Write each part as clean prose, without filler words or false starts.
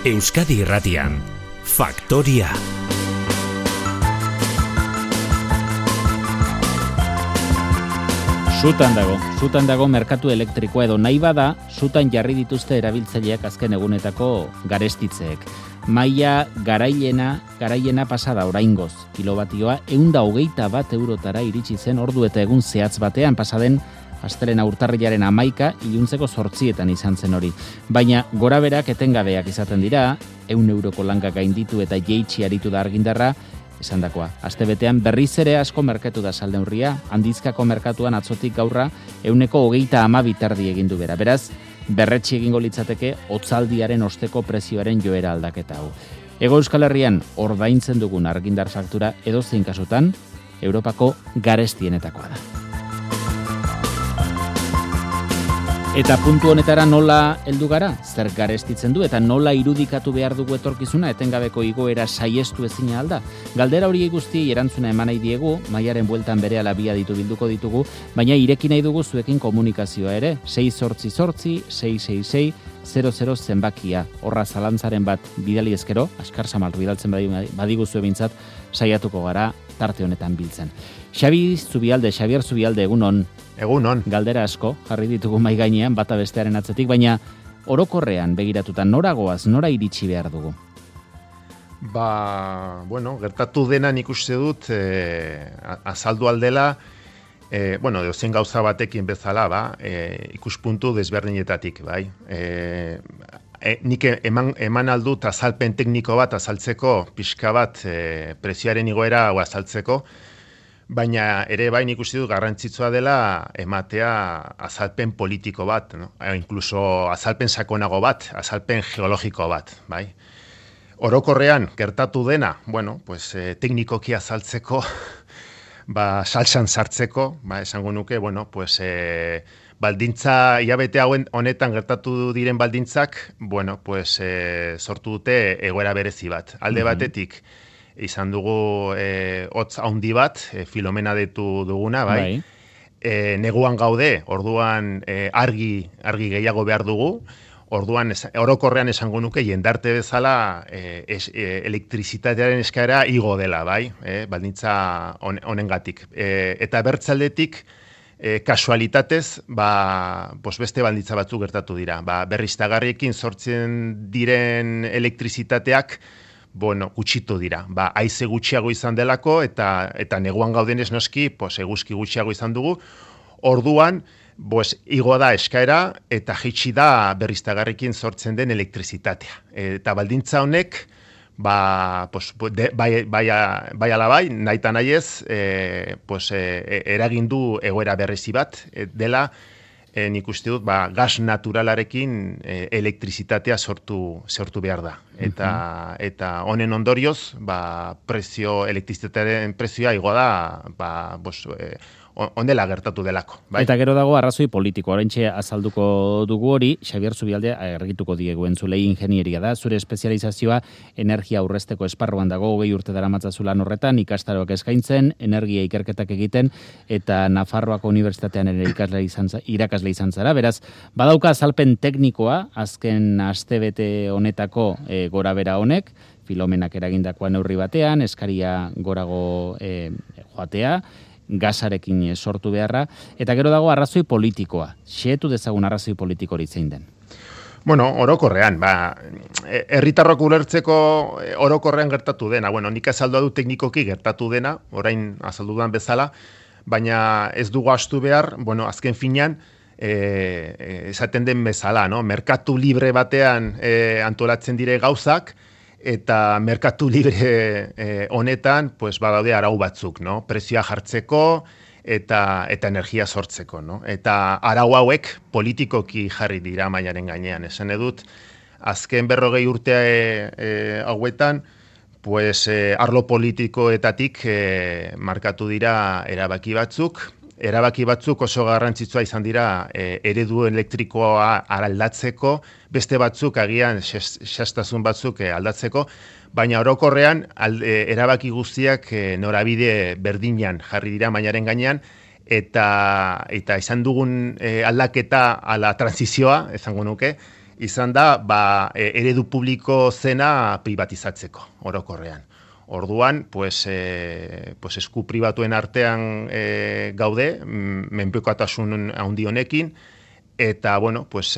Euskadi Irratian, Faktoria. Sutan dago merkatu elektrikoa edo nahi bada, sutan jarri dituzte erabiltzaileak azken egunetako garestitzeek. Maila garaiena pasada oraingoz, kilobatioa 121 eurotara iritsi zen ordu eta egun zehatz batean pasaden astelena urtarrilaren 11 iluntzeko 8etan izan zen hori. Baina goraberak etengabeak izaten dira, 100 euroko langa gainditu eta jeitsi aritu da argindarra, esandakoa. Astebetean berriz ere asko merkatu da salneurria, handizkako merkatuan atzotik gaurra 122 terdi egin du bera. Beraz, berretsi egingo litzateke hotzaldiaren osteko prezioaren joera aldaketa hau. Hego Euskal Herrian ordaintzen dugun argindar faktura edozein kasutan Europako garestienetakoa da. Eta puntu honetara nola heldu gara? Zer garestitzen du eta nola irudikatu behar dugu etorkizuna etengabeko igoera saiestu ezina alda? Galdera hori guztiei erantzuna eman nahi diegu, maiaren bueltan berehala bilduko ditugu, baina ireki nahi dugu zuekin komunikazioa ere, 688-666-00 zenbakia. Horra zalantzaren bat bidali ezkero, askar samalru bidaltzen badiguzu ebintzat, saiatuko gara tarte honetan biltzen. Xabier Zubialde, egunon. Egunon. Galdera asko, jarri ditugu mai gainean, bata bestearen atzetik, baina orokorrean begiratuta noragoaz, nora iritsi behar dugu? Gertatu dena nik uste dut azaldu aldela, dozen gauza batekin bezala, ikuspuntu desberdinetatik, bai. Nik eman aldut azalpen tekniko bat azaltzeko, pixka bat prezioaren igoera azaltzeko, baina ere bai nik uste dut garrantzitsua dela ematea azalpen politiko bat, no? Inkluso azalpen sakonago bat, azalpen geologiko bat, bai. Orokorrean gertatu dena, teknikoki azaltzeko, saltsan sartzeko, esango nuke, baldintza hilabete honetan gertatu diren baldintzak, sortu dute egoera berezi bat. Alde batetik, izan dugu hotz handi bat, Filomena deitu duguna, bai. Neguan gaude, orduan argi gehiago behar dugu, orduan orokorrean esango nuke jendarte bezala elektrizitatearen eskaera igo dela, bai, baldintza honengatik. Eta bertzaldetik, kasualitatez, beste baldintza batzuk gertatu dira. Berriztagarriekin sortzen diren elektrizitateak, gutxitu dira. Haize gutxiago izan delako eta neguan gaudenez noski, eguzki gutxiago izan dugu. Orduan, igo da eskaera eta jaitsi da berriztagarriekin sortzen den elektrizitatea. Eta baldintza honek, bai ala bai, nahi eta nahi ez, eragin du egoera berezi bat, dela, nik uste dut, gas naturalarekin elektrizitatea sortu behar da. Eta honen ondorioz, elektrizitatearen prezioa igo da, ondela gertatu delako. Bai? Eta gero dago arrazoi politiko, oraintxe azalduko dugu hori, Xabier Zubialde argituko diegu entzulei ingenieria da, zure espezializazioa energia aurrezteko esparruan dago, 20 urte daramatzazulan horretan, ikastaroak eskaintzen, energia ikerketak egiten, eta Nafarroako Unibertsitatean ere irakasle izan zara, beraz, badauka azalpen teknikoa, azken astebete honetako gorabera honek, Filomenak eragindakoa neurri batean, eskaria gorago joatea, gasarekin sortu beharra, eta gero dago arrazoi politikoa. Xehetu dezagun arrazoi politiko hori zein den? Orokorrean, herritarrok ulertzeko orokorrean gertatu dena. Nik azaldu du teknikoki gertatu dena, orain azaldu dudan bezala, baina ez dugu astu behar, azken finean, esaten den bezala, no? Merkatu libre batean antolatzen dire gauzak, eta merkatu libre honetan, badaude arau batzuk, no? Prezioa jartzeko eta energia sortzeko, no? Eta arau hauek politikoki jarri dira mailaren gainean. Esan edut, azken 40 urte hauetan, arlo politikoetatik markatu dira erabaki batzuk oso garrantzitsua izan dira eredu elektrikoa aldatzeko, beste batzuk agian xastasun batzuk aldatzeko, baina orokorrean erabaki guztiak norabide berdinean jarri dira mainaren gainean, eta izan dugun aldaketa ala transizioa, esango nuke, izan da eredu publiko zena privatizatzeko orokorrean. Orduan, pues esku pribatuen artean gaude, menpekotasun handi honekin, eta, bueno, pues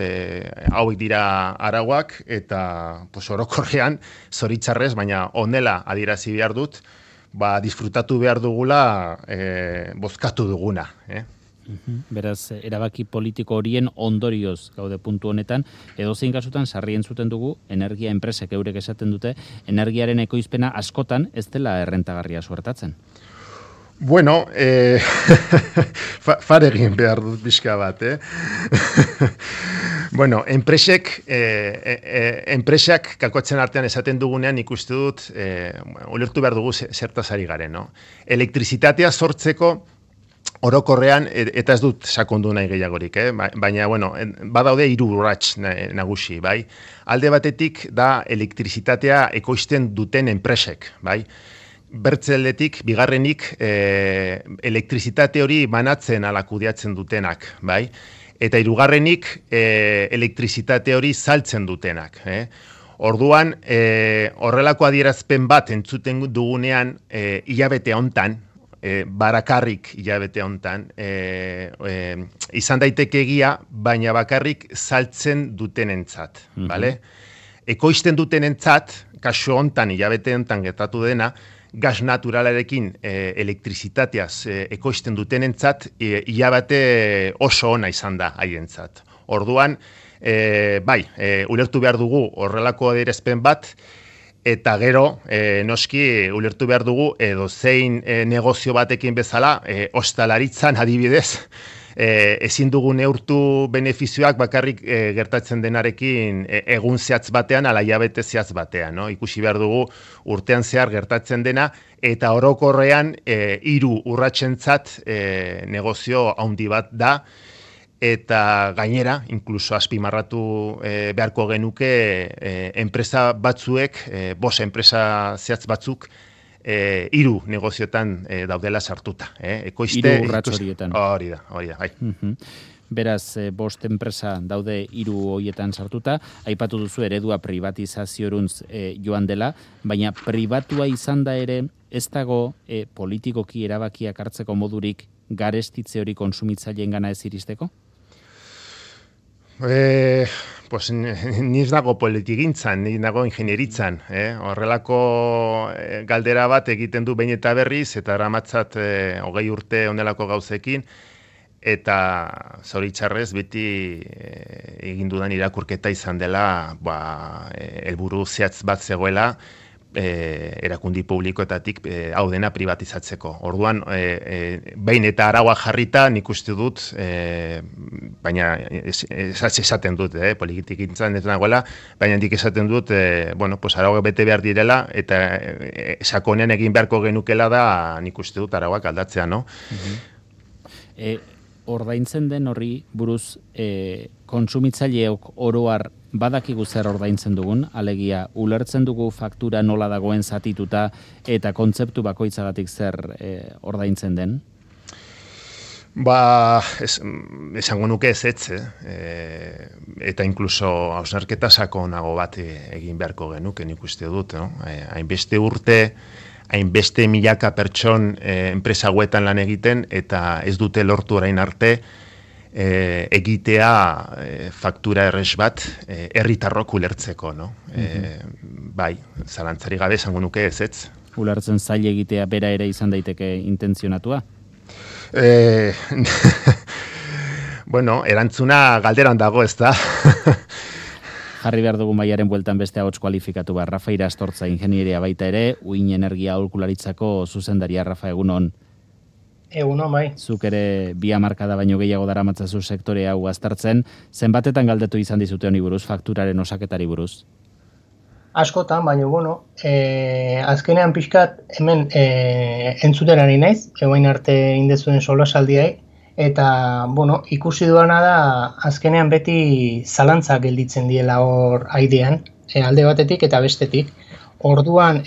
hauek dira arauak, eta pues orokorrean, zoritzarrez, baina honela adierazi behar dut, disfrutatu behar dugula bozkatu duguna. Beraz, erabaki politiko horien ondorioz gaude puntu honetan, edozein kasutan sarri entzuten dugu, energia enpresek eurek esaten dute, energiaren ekoizpena askotan ez dela errentagarria suertatzen. Bueno, faregin behar dut bizka bat, Bueno, enpresak kalkuatzen artean esaten dugunean ikuste dut, ulertu behar dugu zertaz ari garen, no? Elektrizitatea sortzeko orokorrean, eta ez dut sakondu nahi gehiagorik, baina, bueno, badaude 3 urrats nagusi, bai? Alde batetik da elektrizitatea ekoizten duten enpresek, bai? Bertzeldetik, bigarrenik, elektrizitate hori banatzen ala kudeatzen dutenak, bai? Eta hirugarrenik, elektrizitate hori saltzen dutenak, Orduan, horrelako adierazpen bat entzuten dugunean, hilabete hontan, barakarrik hilabete hontan, izan daiteke egia, baina bakarrik saltzen dutenentzat, bale? Ekoizten dutenentzat, kasu hontan hilabete hontan gertatu dena, gas naturalarekin elektrizitateaz ekoizten dutenentzat, hilabete oso ona izan da haientzat. Orduan, ulertu behar dugu horrelako adierazpen bat, eta gero, noski, ulertu behar dugu, edo zein negozio batekin bezala, ostalaritzan adibidez, ezin dugu neurtu benefizioak bakarrik gertatzen denarekin egun zehatz batean, ala hilabete zehatz batean. No? Ikusi behar dugu urtean zehar gertatzen dena, eta orokorrean 3 urratsentzat negozio handi bat da, eta gainera, inkluso azpimarratu beharko genuke enpresa batzuek, 5 enpresa zehatz batzuk, 3 negozioetan daudela sartuta. 3 urrats horietan. Hori da, bai. Beraz, 5 enpresa daude 3 horietan sartuta, aipatu duzu eredua privatizaziorantz joan dela, baina pribatua izan da ere, ez dago politikoki erabakiak hartzeko modurik garestitze hori kontsumitzaileen gana ez iristeko? Pues niz nago politigintzan, niz nago ingenieritzan. Horrelako galdera bat egiten du behin eta berriz, eta eramatzat 20 urte onelako gauzekin, eta zoritxarrez beti egin dudan irakurketa izan dela, helburu zehatz bat zegoela, erakundi publikoetatik hau dena privatizatzeko. Orduan, behin eta arauak jarrita nik uste dut, baina esaten dut, politikintzan ez nagoela, baina nik esaten dut, arauak bete behar direla, eta sakonean egin beharko genukela da nik uste dut arauak aldatzea, no? Ordaintzen den horri buruz kontsumitzaileok oroar badakigu zer ordaintzen dugun, alegia ulertzen dugu faktura nola dagoen zatituta eta kontzeptu bakoitzagatik zer ordaintzen den? Esango nuke ezetz, eta inkluso hausnarketa sakonago bat egin beharko genuke nik uste dut, no? Hainbeste urte, hainbeste milaka pertson enpresa hauetan lan egiten, eta ez dute lortu orain arte egitea faktura errez bat herritarrok ulertzeko, no? Bai, zalantzari gabe esango nuke ezetz. Ulertzen zaila egitea bera ere izan daiteke intentzionatua? Erantzuna galderan dago, ez da? Jarri behar dugu maiaren bueltan beste ahots kualifikatu bat. Rafa Irastortza, ingenieria baita ere, Uin Energia Aholkularitzako zuzendaria. Rafa, egunon. Egunon, bai. Zuk ere 2 hamarkada baino gehiago daramatzazu sektore hau aztertzen. Zenbatetan galdetu izan dizute honi buruz, fakturaren osaketari buruz? Askotan, baina, azkenean pixkat hemen entzuten ari naiz, egoin arte indezuen solasaldiai, eta, ikusi duana da, azkenean beti zalantza gelditzen diela hor aidean, alde batetik eta bestetik. Orduan,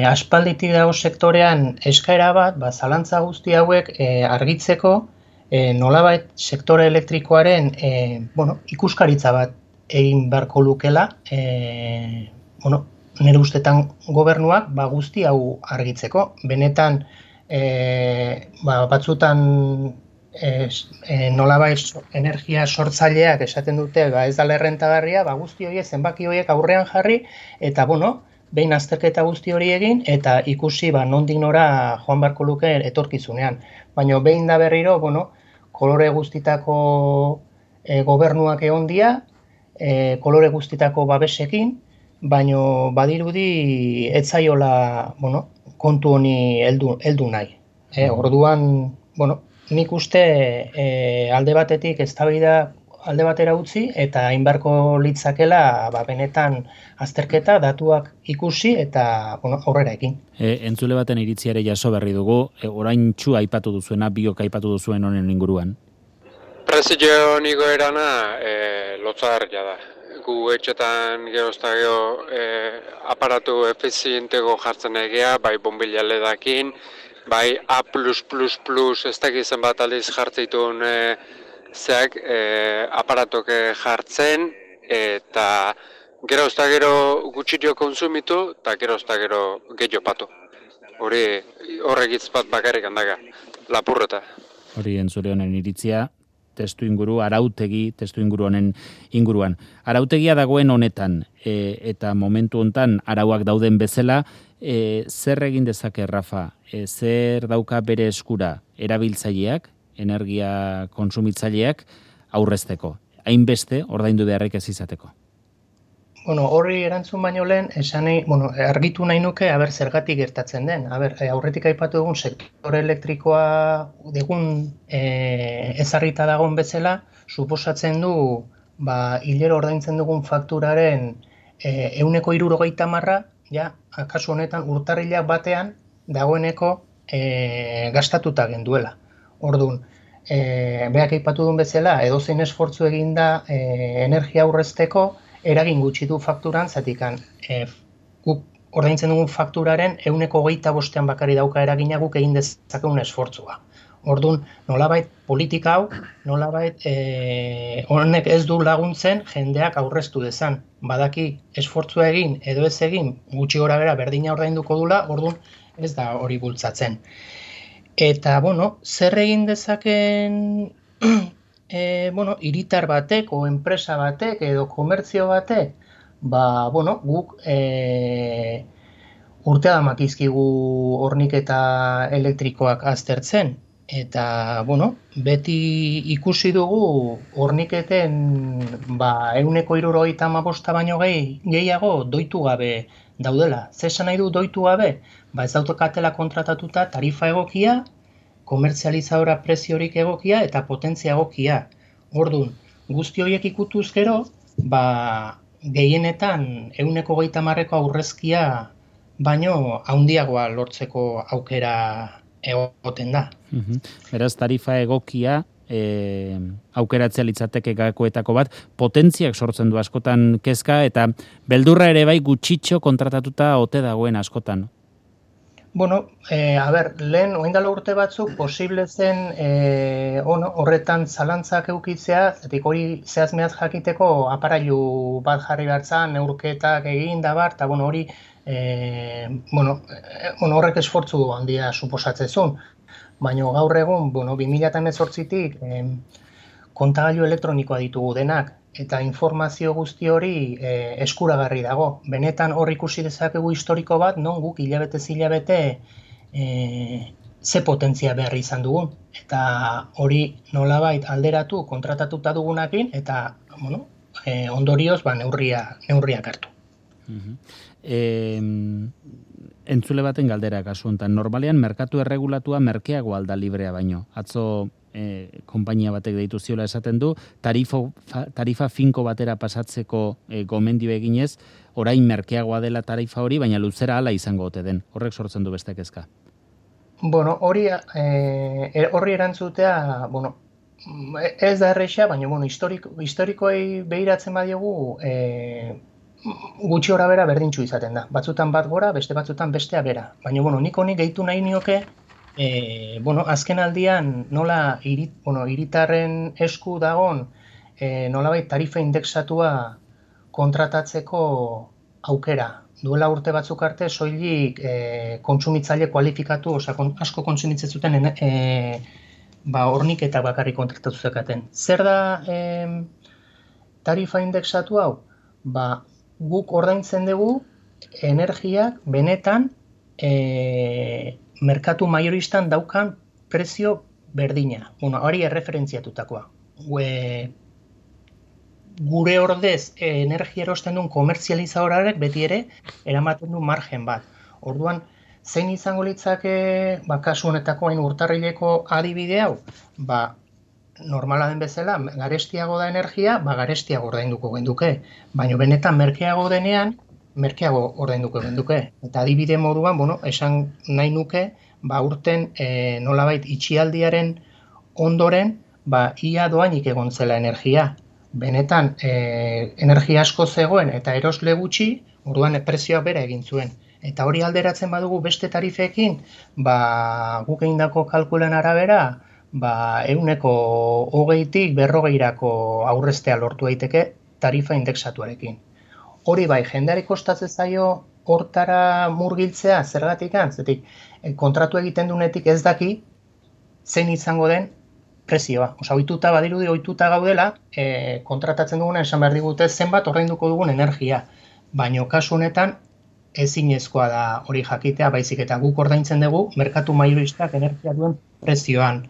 aspalditik dago sektorean eskaera bat, zalantza guzti hauek argitzeko, nolabait sektore elektrikoaren ikuskaritza bat egin beharko lukela, nire ustetan gobernuak guzti hau argitzeko. Benetan batzutan nolabait energia sortzaileak esaten dute ez da errentagarria, guzti horiek zenbaki horiek aurrean jarri eta behin azterketa guzti hori egin eta ikusi nondik nora joan beharko luke etorkizunean. Baina behin da berriro, kolore guztitako gobernuak egon dira, kolore guztitako babesekin, baina badirudi ez zaiola kontu honi heldu nahi. Orduan, nik uste alde batetik eztabaida alde batera utzi eta hain beharko litzakela benetan azterketa, datuak ikusi eta aurrera ekin. Entzule baten iritziare jaso berri dugu, oraintsu aipatu duzuena, biok aipatu duzuen honen inguruan. Prezio niko erana lotzagarria da. Gu etxetan gerozta gero aparatu efizientego jartzen egea, bai bombilla ledakin, bai A+++, ez dakizen bat aldiz jartzeitun aparatok jartzen, eta gerozta gero gutxirio konsumitu, eta gerozta gero gehiago patu. Horregitz bat bakarrik handaga, lapurreta. Hori entzule honen iritzia, testu inguru honen inguruan. Arautegia dagoen honetan, eta momentu hontan arauak dauden bezala, zer egin dezake, Rafa? Zer dauka bere eskura erabiltzaileak, energia konsumitzaileak aurrezteko? Hainbeste ordaindu beharrik ez izateko? Horri erantzun baino lehen, argitu nahi nuke, zergatik gertatzen den. Aurretik aipatu dugun sektore elektrikoa digun ezarrita dagoen bezala, suposatzen du, hilero ordaintzen dugun fakturaren 70%, kasu honetan urtarrilak batean dagoeneko gastatuta genduela. Orduan, beak aipatu duen bezala, edozein esfortzu eginda energia aurrezteko, eragin gutxi du fakturan, zatikan guk ordaintzen dugun fakturaren 25% bakari dauka eragina guk egin dezakegun esfortzua. Orduan, nolabait politika hau, nolabait honek ez du laguntzen jendeak aurreztu dezan. Badaki esfortzua egin edo ez egin gutxi gora bera berdina ordainduko dula, orduan ez da hori bultzatzen. Eta, zer egin dezaken hiritar batek o enpresa batek edo komertzio batek, guk urtea damakizkigu horniketa elektrikoak aztertzen. Eta, beti ikusi dugu horniketen 175 baino gehiago doitu gabe daudela. Zer esan nahi du doitu gabe? Ez daukatela kontratatuta tarifa egokia, komertzializadora preziorik egokia eta potentzia egokia. Orduan, guzti horiek ikutuz gero, gehienetan 130ko aurrezkia baino handiagoa lortzeko aukera egoten da. Beraz, tarifa egokia aukeratzea litzateke gakoetako bat, potentziak sortzen du askotan kezka, eta beldurra ere bai gutxitxo kontratatuta ote dagoen askotan. Lehen, oindala urte batzuk, posible zen horretan zalantzak eukitzea, zetik hori zehazmeaz jakiteko aparailu bat jarri bertzan, neurketak egin da bar, eta hori horrek esfortzu handia suposatzezun. Baina gaur egun, 2018tik kontagailu elektronikoa ditugu denak, eta informazio guzti hori eskuragarri dago. Benetan hor ikusi dezakegu historiko bat, non guk hilabete ze potentzia behar izan dugun. Eta hori nolabait alderatu kontratatuta dugunakin, eta ondorioz neurriak hartu. Entzule baten galdera kasu honetan, normalean merkatu erregulatua merkeago alda librea baino. Atzo konpainia batek deitu ziola esaten du, tarifa finko batera pasatzeko gomendio eginez, orain merkeagoa dela tarifa hori, baina luzera hala izango ote den. Horrek sortzen du beste kezka. Horri erantzutea, ez da erresa, baina historikoei behiratzen badiogu, gutxi bera berdintxu izaten da. Batzutan bat gora, beste batzutan bestea bera. Baina nik honi gehitu nahi nioke azken aldian nola hiritarren esku dagon nolabait tarifa indexatua kontratatzeko aukera. Duela urte batzuk arte soilik kontsumitzaile kualifikatu, asko kontsumitzen zuten hornik eta bakarrik kontratatu zekaten. Zer da tarifa indexatu hau? Guk ordaintzen dugu energiak benetan merkatu majoristan daukan prezio berdina. Hori erreferentziatutakoa. Gure ordez energia erosten duen komertzializadorarek beti ere eramaten du margen bat. Orduan, zein izango litzake kasu honetako hain urtarrileko adibide hau? Normala den bezala, garestiago da energia, garestiago ordainduko genduke. Baina benetan merkeago denean, merkeago ordainduko genduke. Eta adibide moduan, esan nahi nuke, urten nolabait itxialdiaren ondoren, ia doainik egon zela energia. Benetan, energia asko zegoen eta erosle gutxi, orduan prezioa bera egin zuen. Eta hori alderatzen badugu beste tarifekin, guk egindako kalkulen arabera, 120tik 40irako aurreztea lortu daiteke tarifa indexatuarekin. Hori bai, jendeari kostatzen zaio hortara murgiltzea, zergatik zetik kontratu egiten dunetik ez daki zein izango den prezioa. Ohituta gaudela, kontratatzen duguna esan behar digute zenbat ordainduko dugun energia. Baina kasu honetan ezinezkoa da hori jakitea, baizik eta guk ordaintzen dugu merkatu majoristak energia duen prezioan.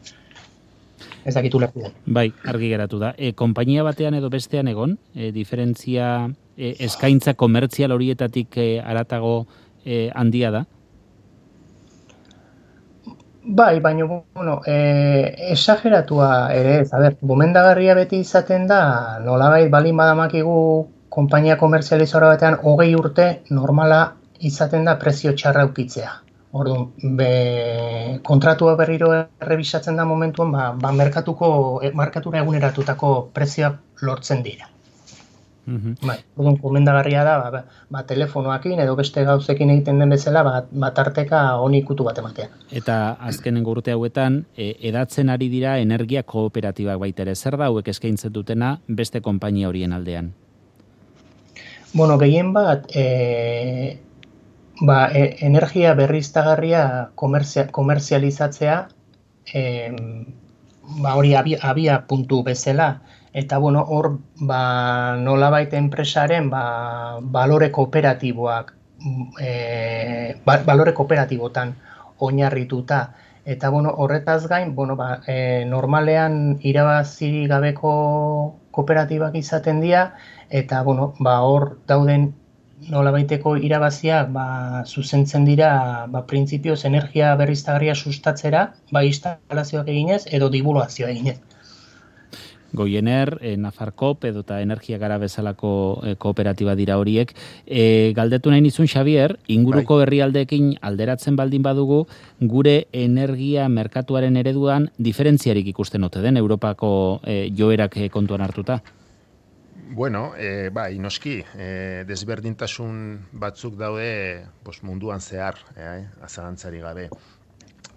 Ez dakitu lertu den. Bai, argi geratu da. Konpainia batean edo bestean egon, diferentzia eskaintza komertzial horietatik haratago handia da? Bai, baina, esageratua ere, gomendagarria beti izaten da, nolabait balin badamakigu konpainia komertzializadora batean 20 urte normala izaten da prezio txarra ukitzea. Orduan, kontratua berriro errebisatzen da momentuan, markatura eguneratutako prezioak lortzen dira. Orduan, komendagarria da, telefonoakin edo beste gauzekin egiten den bezala, tarteka honi ikutu bat ematea. Eta azkenengo urte hauetan, edatzen ari dira energia kooperatibak baita ere. Zer da hauek eskaintzen dutena beste konpainia horien aldean? Gehien bat, energia berriztagarria komerzializatzea, hori abia puntu bezala, eta hor nolabait enpresaren balore kooperatibotan oinarrituta. Eta horretaz gain, normalean irabazi gabeko kooperatibak izaten dira, eta hor dauden nolabaiteko irabaziak zuzentzen dira printzipioz energia berriztagarria sustatzera, instalazioak eginez edo divulgazioa eginez. Goiener, Nafarkop edo eta Energia Gara bezalako kooperatiba dira horiek. Galdetu nahi nizun, Xabier, inguruko herrialdeekin alderatzen baldin badugu, gure energia merkatuaren ereduan diferentziarik ikusten ote den Europako joerak kontuan hartuta? Bueno, noski, desberdintasun batzuk daude munduan zehar, azalantzari gabe.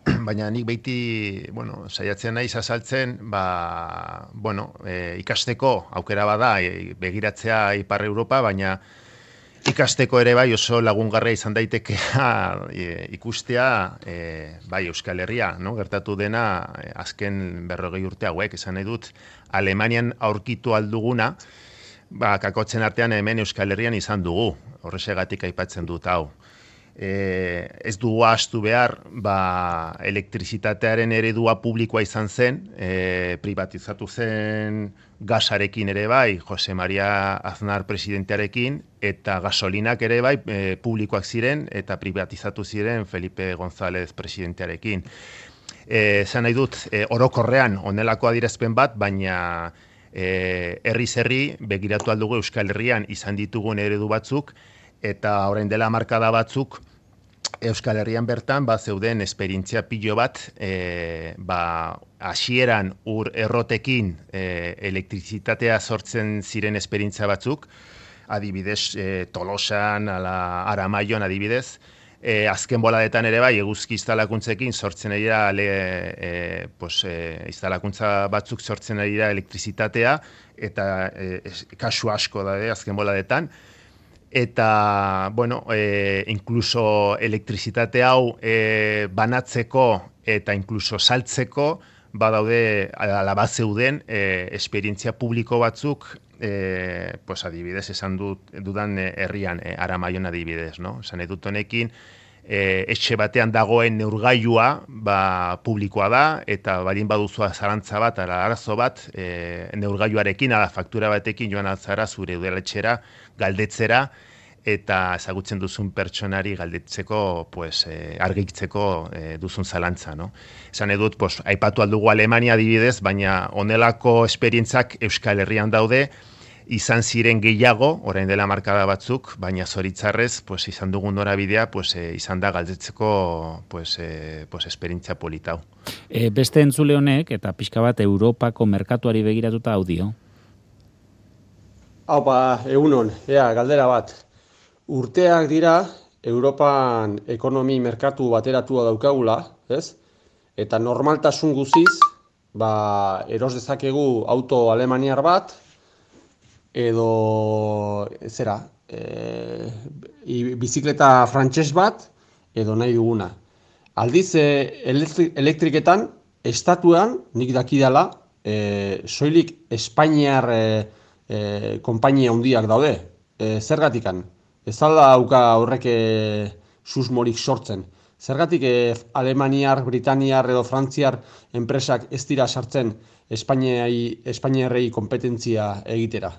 Baina nik beiti, saiatzen naiz azaltzen, ikasteko aukera bada, begiratzea Ipar Europa, baina ikasteko ere bai oso lagungarria izan daitekea ikustea Euskal Herria, gertatu dena azken 40 urte hauek, esan nahi dut, Alemanian aurkitu alduguna, kakotzen artean hemen Euskal Herrian izan dugu, horrezegatik aipatzen dut hau. Ez dugu ahaztu behar, elektrizitatearen eredua publikoa izan zen, privatizatu zen gasarekin ere bai, Jose Maria Aznar presidentearekin, eta gasolinak ere bai publikoak ziren, eta privatizatu ziren Felipe González presidentearekin. Esan nahi dut, orokorrean onelako adierazpen bat, baina herri begiratu aldugu Euskal Herrian izan ditugun eredu batzuk, eta orain dela markada batzuk Euskal Herrian bertan zeuden esperientzia pilo bat hasieran ur errotekin elektrizitatea sortzen ziren esperientzia batzuk, adibidez Tolosan, Aramaion adibidez, azken boladetan ere bai, eguzki instalakuntzekin sortzen ari da, instalakuntza batzuk sortzen ari da elektrizitatea, eta kasu asko da, azken boladetan. Eta, bueno, inkluso elektrizitate hau banatzeko eta inkluso saltzeko, badaude alaba zeuden esperientzia publiko batzuk, adibidez, esan dudan herrian, Aramaion adibidez, no? Esan edut honekin, etxe batean dagoen neurgailua publikoa da, eta balin baduzua zarantza bat, arazo bat, neurgailuarekin, faktura batekin joan altzara zure udaletxera, galdetzera, eta ezagutzen duzun pertsonari galdetzeko, argitzeko duzun zalantza, no? Esan edut, aipatu aldugu Alemania adibidez, baina honelako esperientzak Euskal Herrian daude, izan ziren gehiago, orain dela markada batzuk, baina zoritzarrez, izan dugun norabidea, izan da galdetzeko esperientzia politau. Beste entzule honek, eta pixka bat Europako merkatuari begiratuta audio. Haupa, egunon, galdera bat. Urteak dira, Europan ekonomi merkatu bateratua daukagula, ez? Eta normaltasun guziz, eros dezakegu auto alemaniar bat, edo, bizikleta frantses bat, edo nahi duguna. Aldiz, elektriketan, estatuan, nik dakidala, soilik Espainiar konpainia handiak daude, zergatikan. Ez alda dauka horrek susmorik sortzen. Zergatik Alemaniar, Britaniar edo Frantziar enpresak ez dira sartzen Espainiarrei kompetentzia egitera.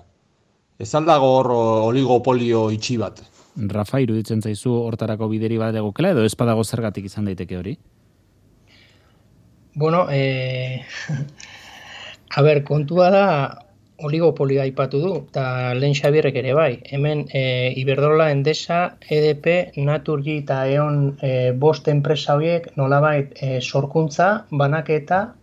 Ez aldago hor oligopolio itxi bat. Rafa, iruditzen zaizu hortarako bideri bat egokela edo ez badago zergatik izan daiteke hori? Bueno, kontua da oligopolioa aipatu du, eta lehen Xabierrek ere bai. Hemen Iberdrola, Endesa, EDP, Naturgy eta E.ON 5 enpresa horiek nolabait sorkuntza, banaketa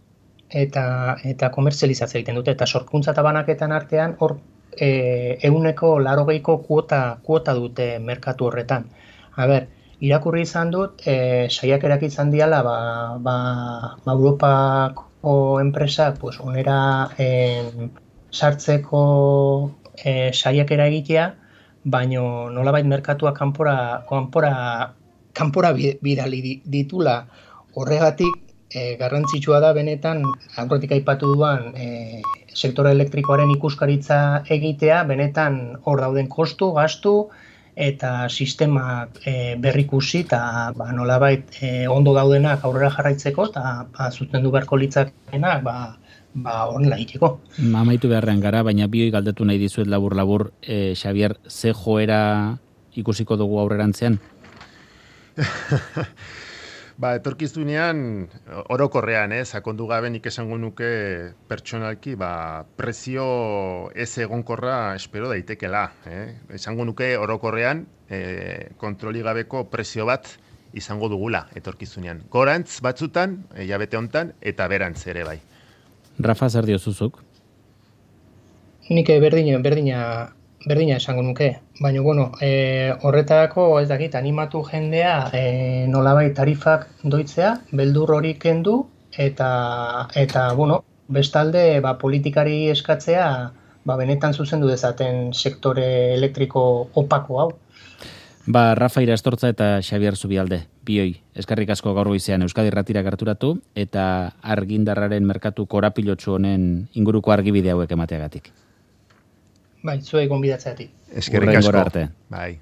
eta komertzializazioa egiten dute. Eta sorkuntza eta banaketan artean hor 180ko kuota dute merkatu horretan. Irakurri izan dut, saiakerak izan diala, Europako enpresak onera sartzeko saiakera egitea, baino nolabait merkatua kanpora bidali ditula. Horregatik garrantzitsua da benetan, aurretik aipatu duan sektore elektrikoaren ikuskaritza egitea, benetan hor dauden kostu, gastu eta sistemak berrikusi eta nolabait ondo daudenak aurrera jarraitzeko eta zuzendu beharko litzakenak honela egiteko. Amaitu beharrean gara, baina bioi galdetu nahi dizuet labur-labur, Xabier, ze joera ikusiko dugu aurrerantzean? Etorkizunean, orokorrean, sakondu gabe nik esango nuke pertsonalki, prezio ez egonkorra espero daitekela. Esango nuke orokorrean, kontroli gabeko prezio bat izango dugula etorkizunean. Gorantz batzutan, hilabete hontan, eta berantz ere bai. Rafa, zer diozuzuk? Nik berdina esango nuke. Baina, horretarako ez dakit, animatu jendea nolabait tarifak doitzea, beldur hori kendu, eta bestalde politikari eskatzea benetan zuzendu dezaten sektore elektriko opako hau. Rafa Irastortza eta Xabier Zubialde, bioi, eskerrik asko gaur goizean Euskadi Irratira gerturatu eta argindarraren merkatu korapilotsu honen inguruko argibide hauek emateagatik. Zuei gonbidatzeatik. Eskerrik asko. Arte. Bai.